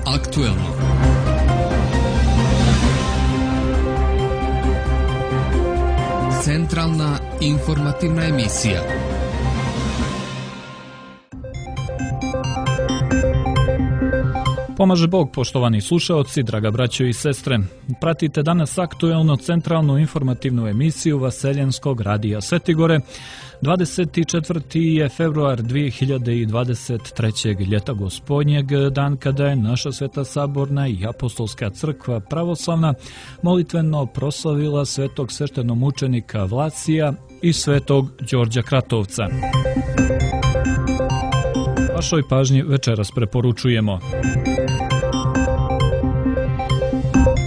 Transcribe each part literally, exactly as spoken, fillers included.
aktuelno. Centralna informativna emisija. Pomaže Bog, poštovani slušaoci, draga braćo i sestre. Pratite danas aktuelno centralnu informativnu emisiju Vaseljenskog radija Svetigore. dvadeset četvrti je februar dvije hiljade dvadeset trećeg. ljeta gospodnjeg, dan kada je naša Sveta Saborna i Apostolska crkva pravoslavna molitveno proslavila svetog sveštenomučenika Vlasija i svetog Đorđa Kratovca. Vašoj pažnji večeras preporučujemo: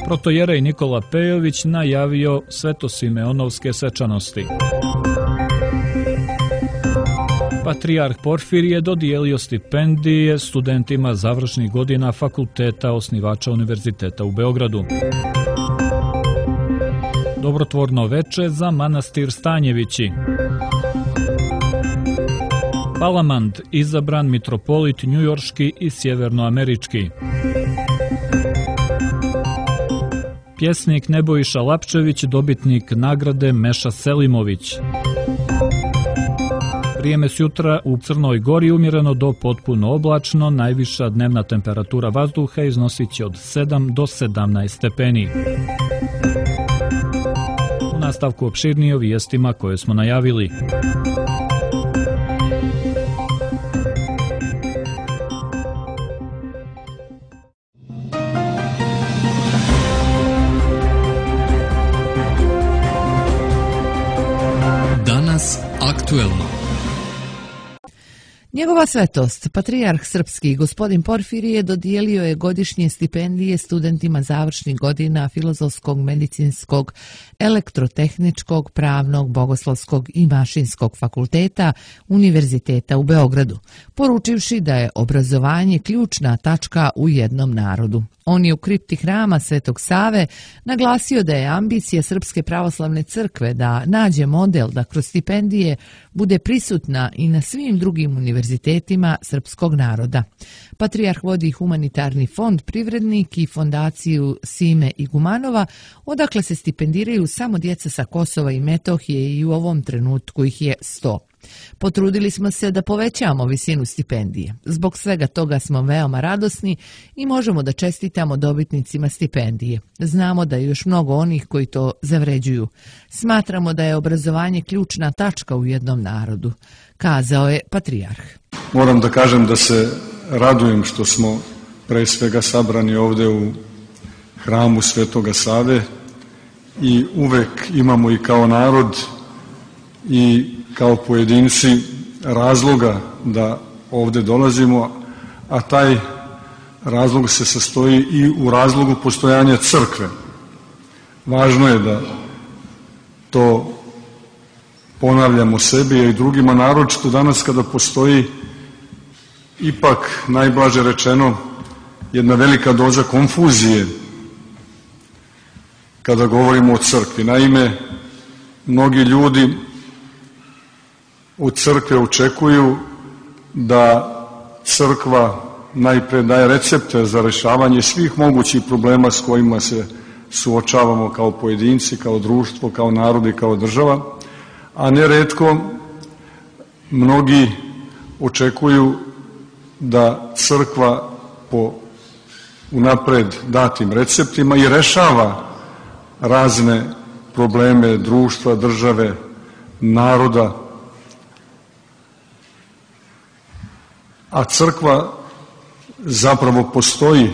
protojerej Nikola Pejović najavio svetosimeonovske svečanosti. Patrijarh Porfirije dodijelio stipendije studentima završnih godina fakulteta osnivača Univerziteta u Beogradu. Dobrotvorno veče za manastir Stanjevići. Palamand izabran mitropolit njujorški i sjevernoamerički. Pjesnik Nebojša Lapčević dobitnik nagrade Meša Selimović. Vrijeme sutra u Crnoj Gori umjereno do potpuno oblačno, najviša dnevna temperatura vazduha iznosit će od sedam do sedamnaest stepeni. U nastavku opširnije o vijestima koje smo najavili. Danas aktuelno. Njegova svetost, patrijarh srpski, gospodin Porfirije, dodijelio je godišnje stipendije studentima završnih godina filozofskog, medicinskog, elektrotehničkog, pravnog, bogoslovskog i mašinskog fakulteta Univerziteta u Beogradu, poručivši da je obrazovanje ključna tačka u jednom narodu. On je u kripti hrama Svetog Save naglasio da je ambicija Srpske pravoslavne crkve da nađe model da kroz stipendije bude prisutna i na svim drugim univerzitetima srpskog naroda. Patrijarh vodi humanitarni fond Privrednik i fondaciju Sime Igumanova, odakle se stipendiraju samo djeca sa Kosova i Metohije i u ovom trenutku ih je sto. Potrudili smo se da povećamo visinu stipendije. Zbog svega toga smo veoma radosni i možemo da čestitamo dobitnicima stipendije. Znamo da je još mnogo onih koji to zavređuju. Smatramo da je obrazovanje ključna tačka u jednom narodu, kazao je patrijarh. Moram da kažem da se radujem što smo pre svega sabrani ovde u hramu Svetoga Save i uvek imamo i kao narod i kao pojedinci razloga da ovde dolazimo, a taj razlog se sastoji i u razlogu postojanja crkve. Važno je da to ponavljamo sebi i drugima, naročito danas kada postoji ipak, najblaže rečeno, jedna velika doza konfuzije kada govorimo o crkvi. Naime, mnogi ljudi od crkve očekuju da crkva najpre daje recepte za rešavanje svih mogućih problema s kojima se suočavamo kao pojedinci, kao društvo, kao narod i kao država, a neretko mnogi očekuju da crkva po unapred datim receptima i rešava razne probleme društva, države, naroda, a crkva zapravo postoji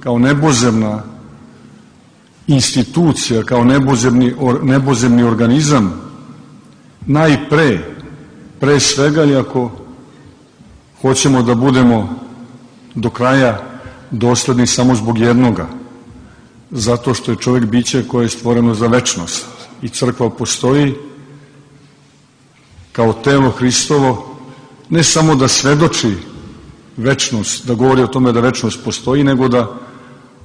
kao nebozemna institucija, kao nebozemni, or, nebozemni organizam, najpre, pre svega, i ako hoćemo da budemo do kraja dosledni samo zbog jednoga, zato što je čovjek biće koje je stvoreno za večnost i crkva postoji kao telo Hristovo, ne samo da svedoči večnost, da govori o tome da večnost postoji, nego da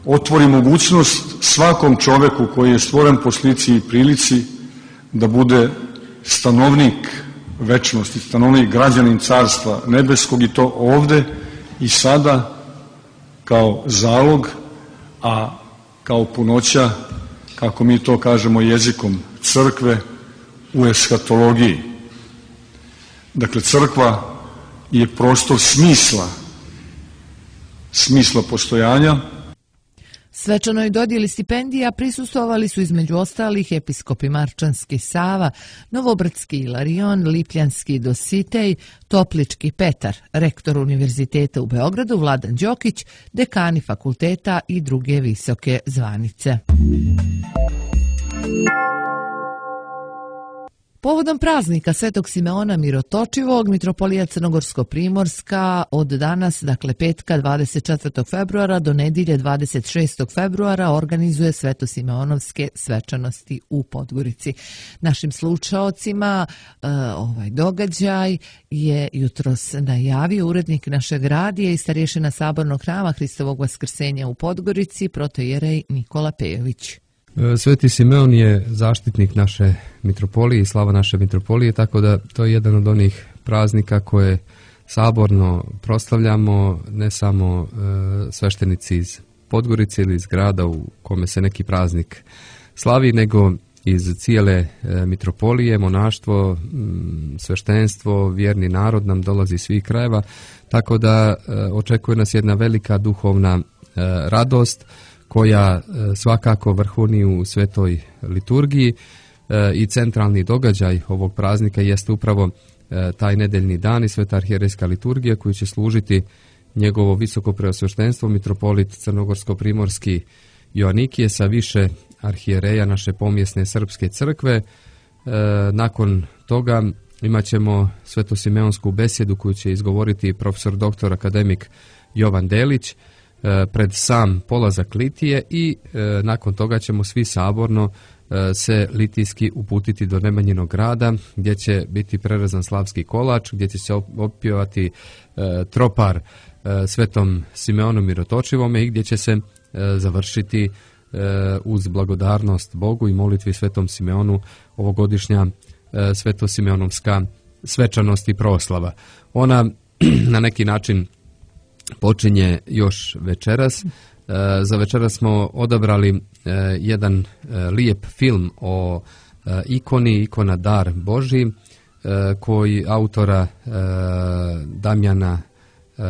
otvori mogućnost svakom čoveku koji je stvoren po slici i prilici da bude stanovnik večnosti, stanovnik, građanin carstva nebeskog, i to ovde i sada kao zalog, a kao punoća, kako mi to kažemo jezikom crkve, u eshatologiji. Dakle, crkva je prostor smisla, smisla postojanja. Svečanoj dodjeli stipendija prisustvovali su između ostalih episkopi Marčanski Sava, Novobrdski Ilarion, Lipljanski Dositej, Toplički Petar, rektor Univerziteta u Beogradu Vladan Đokić, dekani fakulteta i druge visoke zvanice. Povodom praznika Svetog Simeona Mirotočivog, Mitropolija Crnogorsko-Primorska od danas, dakle petka dvadeset četvrtog februara do nedjelje dvadeset šestog februara organizuje Svetosimeonovske svečanosti u Podgorici. Našim slušaocima e, ovaj događaj je jutros najavio urednik našeg radija i starješina Sabornog hrama Hristovog Vaskrsenja u Podgorici, protojerej Nikola Pejović. Sveti Simeon je zaštitnik naše mitropolije i slava naše mitropolije, tako da to je jedan od onih praznika koje saborno proslavljamo, ne samo e, sveštenici iz Podgorice ili iz grada u kome se neki praznik slavi, nego iz cijele e, mitropolije, monaštvo, m, sveštenstvo, vjerni narod nam dolazi iz svih krajeva, tako da e, očekuje nas jedna velika duhovna e, radost, koja svakako vrhuni u svetoj liturgiji i centralni događaj ovog praznika jeste upravo taj nedeljni dan i sveta arhijerejska liturgija koju će služiti njegovo visoko preosveštenstvo mitropolit Crnogorsko-Primorski Joanikije sa više arhijereja naše pomjesne srpske crkve. Nakon toga imat ćemo svetosimeonsku besjedu koju će izgovoriti profesor doktor akademik Jovan Delić pred sam polazak litije i e, nakon toga ćemo svi saborno e, se litijski uputiti do Nemanjinog grada gdje će biti prerezan slavski kolač, gdje će se opjevati e, tropar e, Svetom Simeonu Mirotočivome i gdje će se e, završiti e, uz blagodarnost Bogu i molitvi Svetom Simeonu ovogodišnja e, Svetosimeonovska svečanost i proslava. Ona na neki način počinje još večeras. E, za večeras smo odabrali e, jedan e, lijep film o e, ikoni, ikona Dar Božji, e, koji autora e, Damjana e,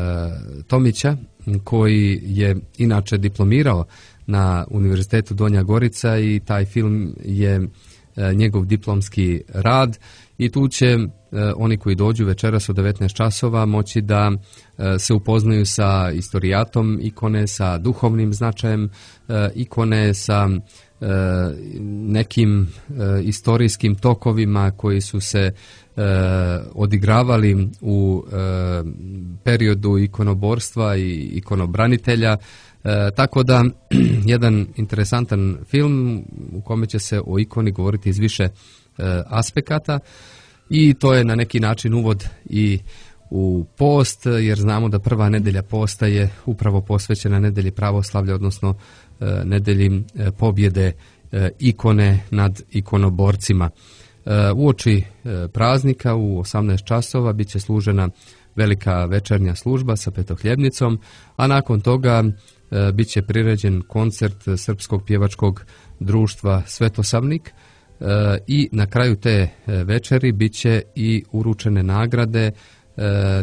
Tomića, koji je inače diplomirao na Univerzitetu Donja Gorica i taj film je e, njegov diplomski rad i tu će e, oni koji dođu večeras u devetnaest časova moći da e, se upoznaju sa istorijatom ikone, sa duhovnim značajem e, ikone, sa e, nekim e, istorijskim tokovima koji su se e, odigravali u e, periodu ikonoborstva i ikonobranitelja. E, tako da jedan interesantan film u kome će se o ikoni govoriti iz više e, aspekata i to je na neki način uvod i u post, jer znamo da prva nedelja posta je upravo posvećena nedelji pravoslavlja, odnosno e, nedelji e, pobjede e, ikone nad ikonoborcima. E, uoči e, praznika u osamnaest časova bit će služena velika večernja služba sa petohljebnicom, a nakon toga e, bit će priređen koncert Srpskog pjevačkog društva Svetosavnik e, i na kraju te večeri bit će i uručene nagrade e,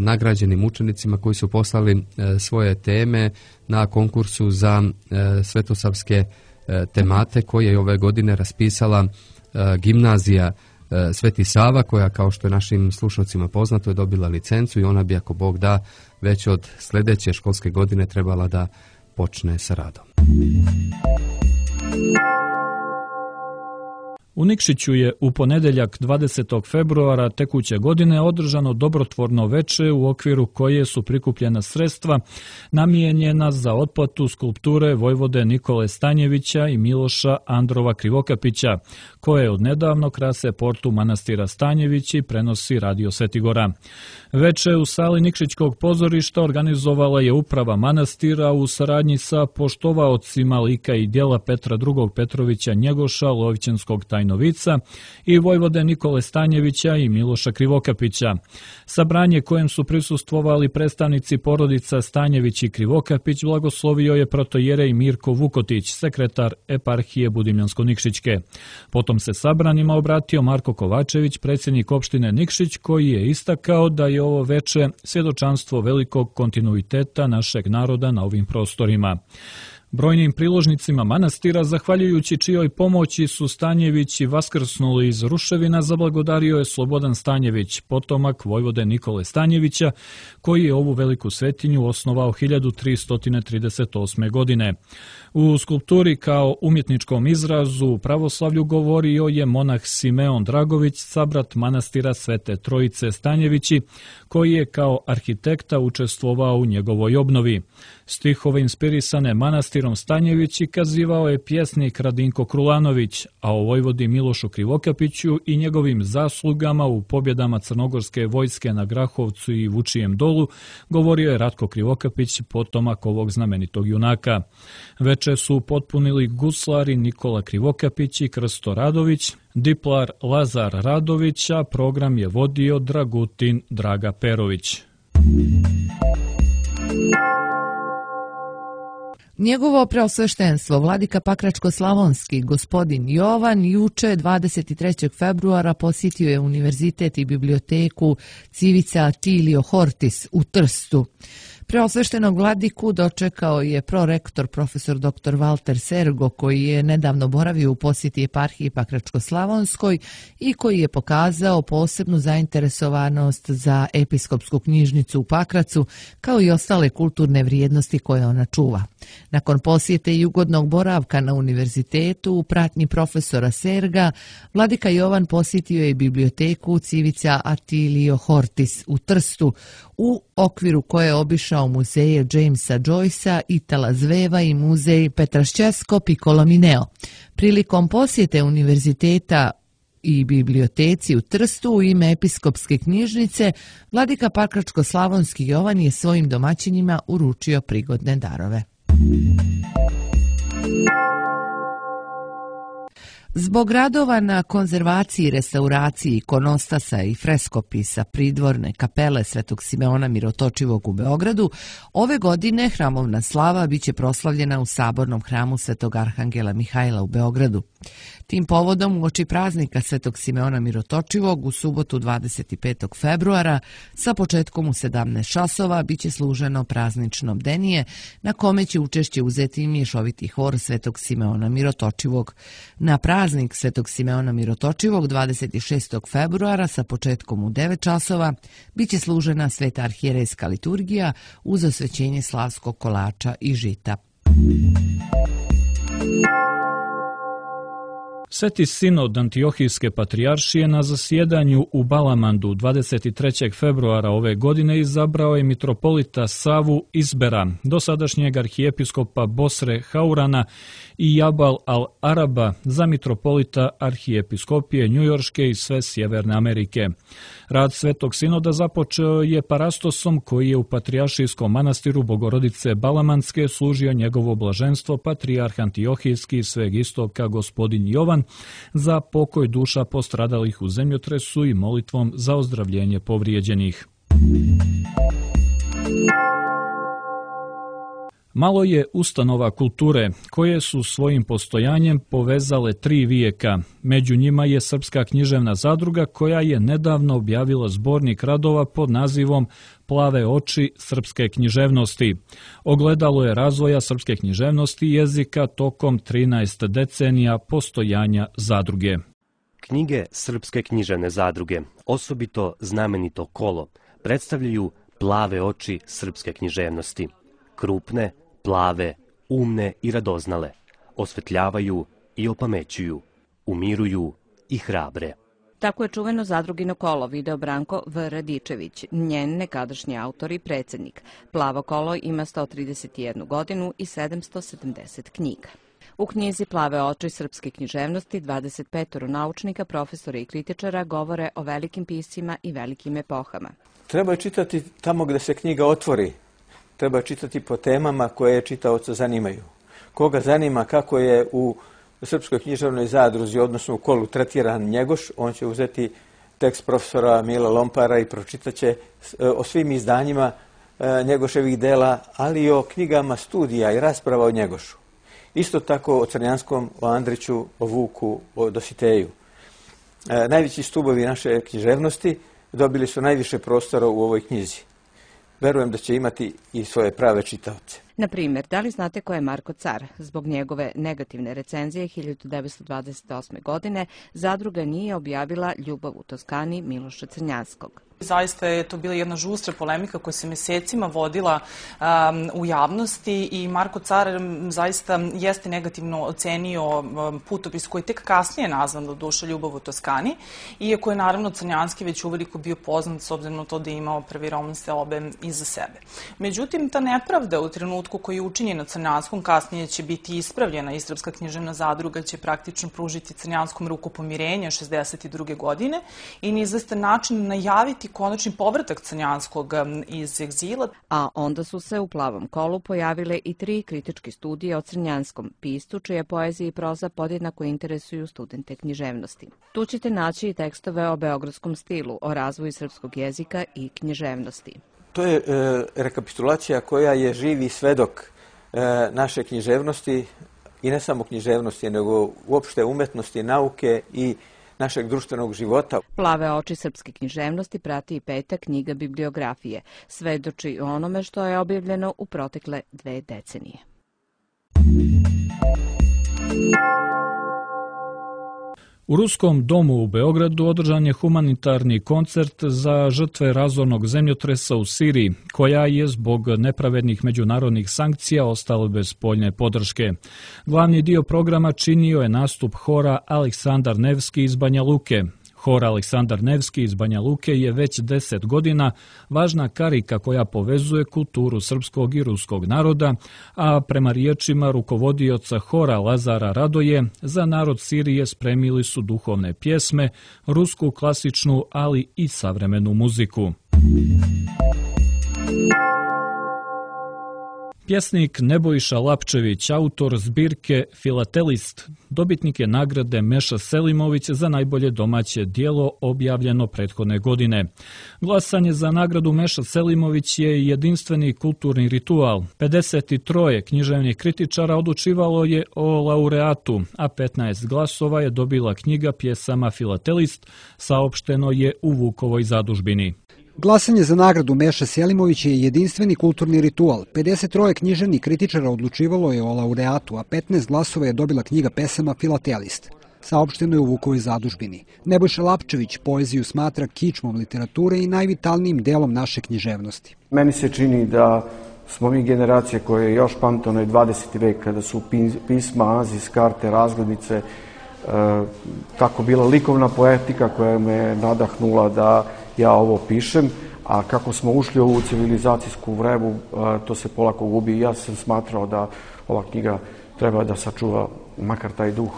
nagrađenim učenicima koji su poslali e, svoje teme na konkursu za e, svetosavske e, temate koje je ove godine raspisala e, gimnazija e, Sveti Sava, koja, kao što je našim slušalcima poznato, je dobila licencu i ona bi, ako Bog da, već od sljedeće školske godine trebala da počne sa radom. U Nikšiću je u ponedjeljak dvadesetog februara tekuće godine održano dobrotvorno veče u okviru koje su prikupljena sredstva namijenjena za otplatu skulpture vojvode Nikole Stanjevića i Miloša Androva Krivokapića, koje odnedavno krase portu manastira Stanjević i prenosi Radio Svetigora. Veče u sali Nikšićkog pozorišta organizovala je uprava manastira u saradnji sa poštovaocima lika i djela Petra drugog Petrovića Njegoša, Lovićanskog tajnika Vojnovica i vojvode Nikole Stanjevića i Miloša Krivokapića. Sabranje kojem su prisustvovali predstavnici porodica Stanjević i Krivokapić blagoslovio je protojerej Mirko Vukotić, sekretar eparhije Budimljansko-Nikšićke. Potom se sabranima obratio Marko Kovačević, predsjednik opštine Nikšić, koji je istakao da je ovo veče svjedočanstvo velikog kontinuiteta našeg naroda na ovim prostorima. Brojnim priložnicima manastira, zahvaljujući čijoj pomoći su Stanjevići vaskrsnuli iz ruševina, zablagodario je Slobodan Stanjević, potomak vojvode Nikole Stanjevića, koji je ovu veliku svetinju osnovao hiljadu tristo trideset osme. godine. U skulpturi kao umjetničkom izrazu u pravoslavlju govorio je monah Simeon Dragović, sabrat manastira Svete Trojice Stanjevići, koji je kao arhitekta učestvovao u njegovoj obnovi. Stihove inspirisane manastirom Stanjevići kazivao je pjesnik Radinko Krulanović, a o vojvodi Milošu Krivokapiću i njegovim zaslugama u pobjedama crnogorske vojske na Grahovcu i Vučijem dolu govorio je Ratko Krivokapić, potomak ovog znamenitog junaka. Veče su potpunili guslari Nikola Krivokapić i Krsto Radović, diplar Lazar Radović, a program je vodio Dragutin Draga Perović. Njegovo preosveštenstvo, vladika Pakračko-slavonski, gospodin Jovan, juče dvadeset trećeg februara posjetio je univerzitet i biblioteku Civica Atilio Hortis u Trstu. Preosveštenog vladiku dočekao je prorektor profesor doktor Valter Sergo, koji je nedavno boravio u posjeti eparhiji Pakračko-slavonskoj i koji je pokazao posebnu zainteresovanost za episkopsku knjižnicu u Pakracu, kao i ostale kulturne vrijednosti koje ona čuva. Nakon posjete i ugodnog boravka na univerzitetu u pratnji profesora Serga, vladika Jovan posjetio je biblioteku Civica Atilio Hortis u Trstu, u okviru koje je obišao muzeje Jamesa Joycea, Itala Zveva i muzej Petraščesko Piccolomineo. Prilikom posjete univerziteta i biblioteci u Trstu u ime episkopske knjižnice, vladika Pakračko-slavonski Jovan je svojim domaćinima uručio prigodne darove. Zbog radova na konzervaciji, restauraciji ikonostasa i freskopisa pridvorne kapele Svetog Simeona Mirotočivog u Beogradu, ove godine hramovna slava biće proslavljena u sabornom hramu Svetog Arhangela Mihajla u Beogradu. Tim povodom uoči praznika Svetog Simeona Mirotočivog u subotu dvadeset petog februara sa početkom u sedamnaest časova biće služeno praznično bdenije na kome će učešće uzeti mješoviti hor Svetog Simeona Mirotočivog. Na praznik Svetog Simeona Mirotočivog dvadeset šestog februara sa početkom u devet časova biće služena sveta arhijerejska liturgija uz osvećenje slavskog kolača i žita. Sveti sinod Antiohijske patrijaršije na zasjedanju u Balamandu dvadeset trećeg februara ove godine izabrao je mitropolita Savu Izbera, dosadašnjeg arhijepiskopa Bosre Haurana i Jabal al-Araba za mitropolita arhijepiskopije Njujorške i sve Sjeverne Amerike. Rad Svetog sinoda započeo je parastosom koji je u patrijaršijskom manastiru Bogorodice Balamanske služio njegovo blaženstvo patrijarh Antiohijski i sveg istoka gospodin Jovan za pokoj duša postradalih u zemljotresu i molitvom za ozdravljenje povrijeđenih. Malo je ustanova kulture koje su svojim postojanjem povezale tri vijeka. Među njima je Srpska književna zadruga koja je nedavno objavila zbornik radova pod nazivom Plave oči srpske književnosti. Ogledalo je razvoja srpske književnosti i jezika tokom trinaest decenija postojanja zadruge. Knjige Srpske književne zadruge, osobito znamenito kolo, predstavljaju plave oči srpske književnosti. Krupne, plave, umne i radoznale, osvetljavaju i opamećuju, umiruju i hrabre. Tako je čuveno zadrugino kolo video Branko V. Radičević, njen nekadašnji autor i predsjednik. Plavo kolo ima sto trideset jednu godinu i sedamsto sedamdeset knjiga. U knjizi Plave oči srpske književnosti dvadeset petoro naučnika, profesora i kritičara govore o velikim piscima i velikim epohama. Treba čitati tamo gdje se knjiga otvori. Treba čitati po temama koje čitaoca zanimaju. Koga zanima kako je u Srpskoj književnoj zadruzi, odnosno u kolu tretiran Njegoš, on će uzeti tekst profesora Mila Lompara i pročitat će o svim izdanjima Njegoševih dela, ali i o knjigama studija i rasprava o Njegošu. Isto tako o Crnjanskom, o Andriću, o Vuku, o Dositeju. Najveći stubovi naše književnosti dobili su najviše prostora u ovoj knjizi. Verujem da će imati i svoje prave čitaoce. Na primjer, da li znate ko je Marko Car? Zbog njegove negativne recenzije hiljadu devetsto dvadeset osme. godine zadruga nije objavila Ljubav u Toskani Miloša Crnjanskog. Zaista je to bila jedna žustra polemika koja se mesecima vodila um, u javnosti i Marko Car zaista jeste negativno ocenio um, putopis koji je tek kasnije nazvan do duše Ljubav u Toskani, iako je naravno Crnjanski već uveliko bio poznat s obzirom na to da je imao prvi roman Seobe iza sebe. Međutim, ta nepravda u trenutku koji je učinjena Crnjanskom kasnije će biti ispravljena i Srpska književna zadruga će praktično pružiti Crnjanskom ruku pomirenja šezdeset druge. godine i na izvestan način najaviti konačni povratak Crnjanskog iz egzila. A onda su se u Plavom kolu pojavile i tri kritičke studije o Crnjanskom piscu, čije poezije i proza podjednako interesuju studente književnosti. Tu ćete naći i tekstove o beogradskom stilu, o razvoju srpskog jezika i književnosti. To je e, rekapitulacija koja je živi svedok e, naše književnosti i ne samo književnosti, nego uopšte umetnosti, nauke i našeg društvenog života. Plave oči srpske književnosti prati i peta knjiga bibliografije. Svedoči o onome što je objavljeno u protekle dve decenije. U Ruskom domu u Beogradu održan je humanitarni koncert za žrtve razornog zemljotresa u Siriji, koja je zbog nepravednih međunarodnih sankcija ostala bez spoljne podrške. Glavni dio programa činio je nastup hora Aleksandar Nevski iz Banja Luke. Hor Aleksandar Nevski iz Banja Luke je već deset godina važna karika koja povezuje kulturu srpskog i ruskog naroda, a prema riječima rukovodioca hora Lazara Radoje, za narod Sirije spremili su duhovne pjesme, rusku klasičnu, ali i savremenu muziku. Pjesnik Nebojša Lapčević, autor zbirke Filatelist, dobitnik je nagrade Meša Selimović za najbolje domaće djelo objavljeno prethodne godine. Glasanje za nagradu Meša Selimović je jedinstveni kulturni ritual. pedeset tri književnih kritičara odlučivalo je o laureatu, a petnaest glasova je dobila knjiga pjesama Filatelist, saopšteno je u Vukovoj zadužbini. Glasanje za nagradu Meša Selimović je jedinstveni kulturni ritual. pedeset tri književnih kritičara odlučivalo je o laureatu, a petnaest glasova je dobila knjiga pesama Filatelist. Saopšteno je u Vukovoj zadužbini. Nebojša Lapčević poeziju smatra kičmom literature i najvitalnijim delom naše književnosti. Meni se čini da smo mi generacije koje je još pamte onaj dvadeseti vek, kada su pisma, azis, karte, razglednice, e, tako bila likovna poetika koja me nadahnula da ja ovo pišem, a kako smo ušli u ovu civilizacijsku vrevu, to se polako gubi. Ja sam smatrao da ova knjiga treba da sačuva makar taj duh.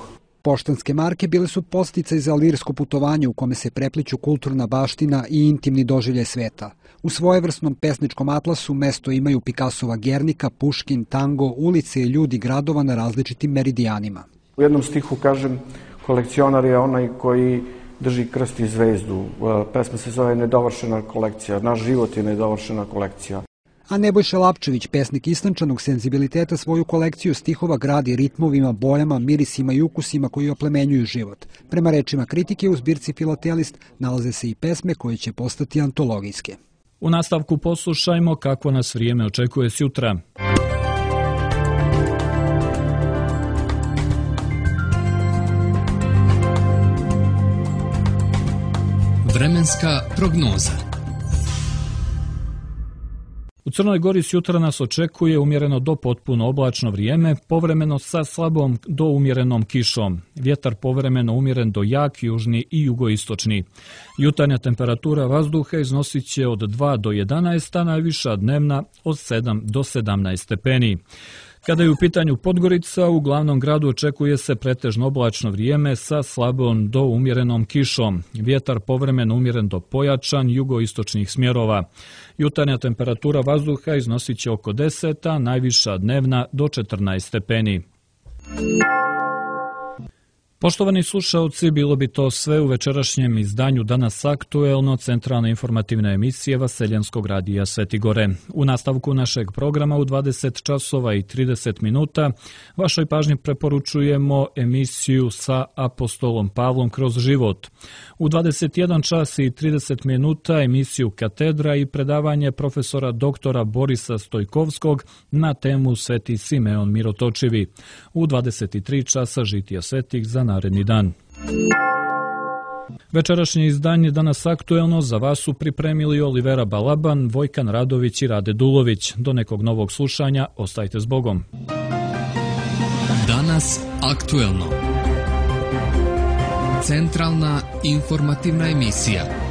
Poštanske marke bile su podsticaj za lirsko putovanje u kome se prepliću kulturna baština i intimni doživljaj sveta. U svojevrsnom pesničkom atlasu mesto imaju Picassova Gernika, Puškin, tango, ulice i ljudi gradova na različitim meridijanima. U jednom stihu kažem, kolekcionar je onaj koji drži krst i zvezdu. Pesma se zove Nedovršena kolekcija. Naš život je nedovršena kolekcija. A Nebojša Lapčević, pesnik istančanog senzibiliteta, svoju kolekciju stihova gradi ritmovima, bojama, mirisima i ukusima koji oplemenjuju život. Prema rečima kritike, u zbirci Filatelist nalaze se i pesme koje će postati antologijske. U nastavku poslušajmo kako nas vrijeme očekuje sutra. Vremenska prognoza. U Crnoj Gori sutra nas očekuje umjereno do potpuno oblačno vrijeme, povremeno sa slabom do umjerenom kišom. Vjetar povremeno umjeren do jak, južni i jugoistočni. Jutarnja temperatura vazduha iznosit će od dva do jedanaest, a najviša dnevna od sedam do sedamnaest stepeni. Kada je u pitanju Podgorica, u glavnom gradu očekuje se pretežno oblačno vrijeme sa slabom do umjerenom kišom. Vjetar povremeno umjeren do pojačan jugoistočnih smjerova. Jutarnja temperatura vazduha iznosit će oko deset, a najviša dnevna do četrnaest stepeni. Poštovani slušaoci, bilo bi to sve u večerašnjem izdanju Danas aktuelno, centralne informativne emisije Vaseljenskog radija Sveti Gore. U nastavku našeg programa u dvadeset časova i trideset minuta vašoj pažnji preporučujemo emisiju sa apostolom Pavlom kroz život. U dvadeset jedan čas i trideset minuta emisiju Katedra i predavanje profesora doktora Borisa Stojkovskog na temu Sveti Simeon Mirotočivi. U dvadeset tri časa žitija svetih za naredni dan. Večerašnje izdanje Danas aktuelno za vas su pripremili Olivera Balaban, Vojkan Radović i Rade Dulović. Do nekog novog slušanja, ostajte s Bogom. Danas aktuelno. Centralna informativna emisija.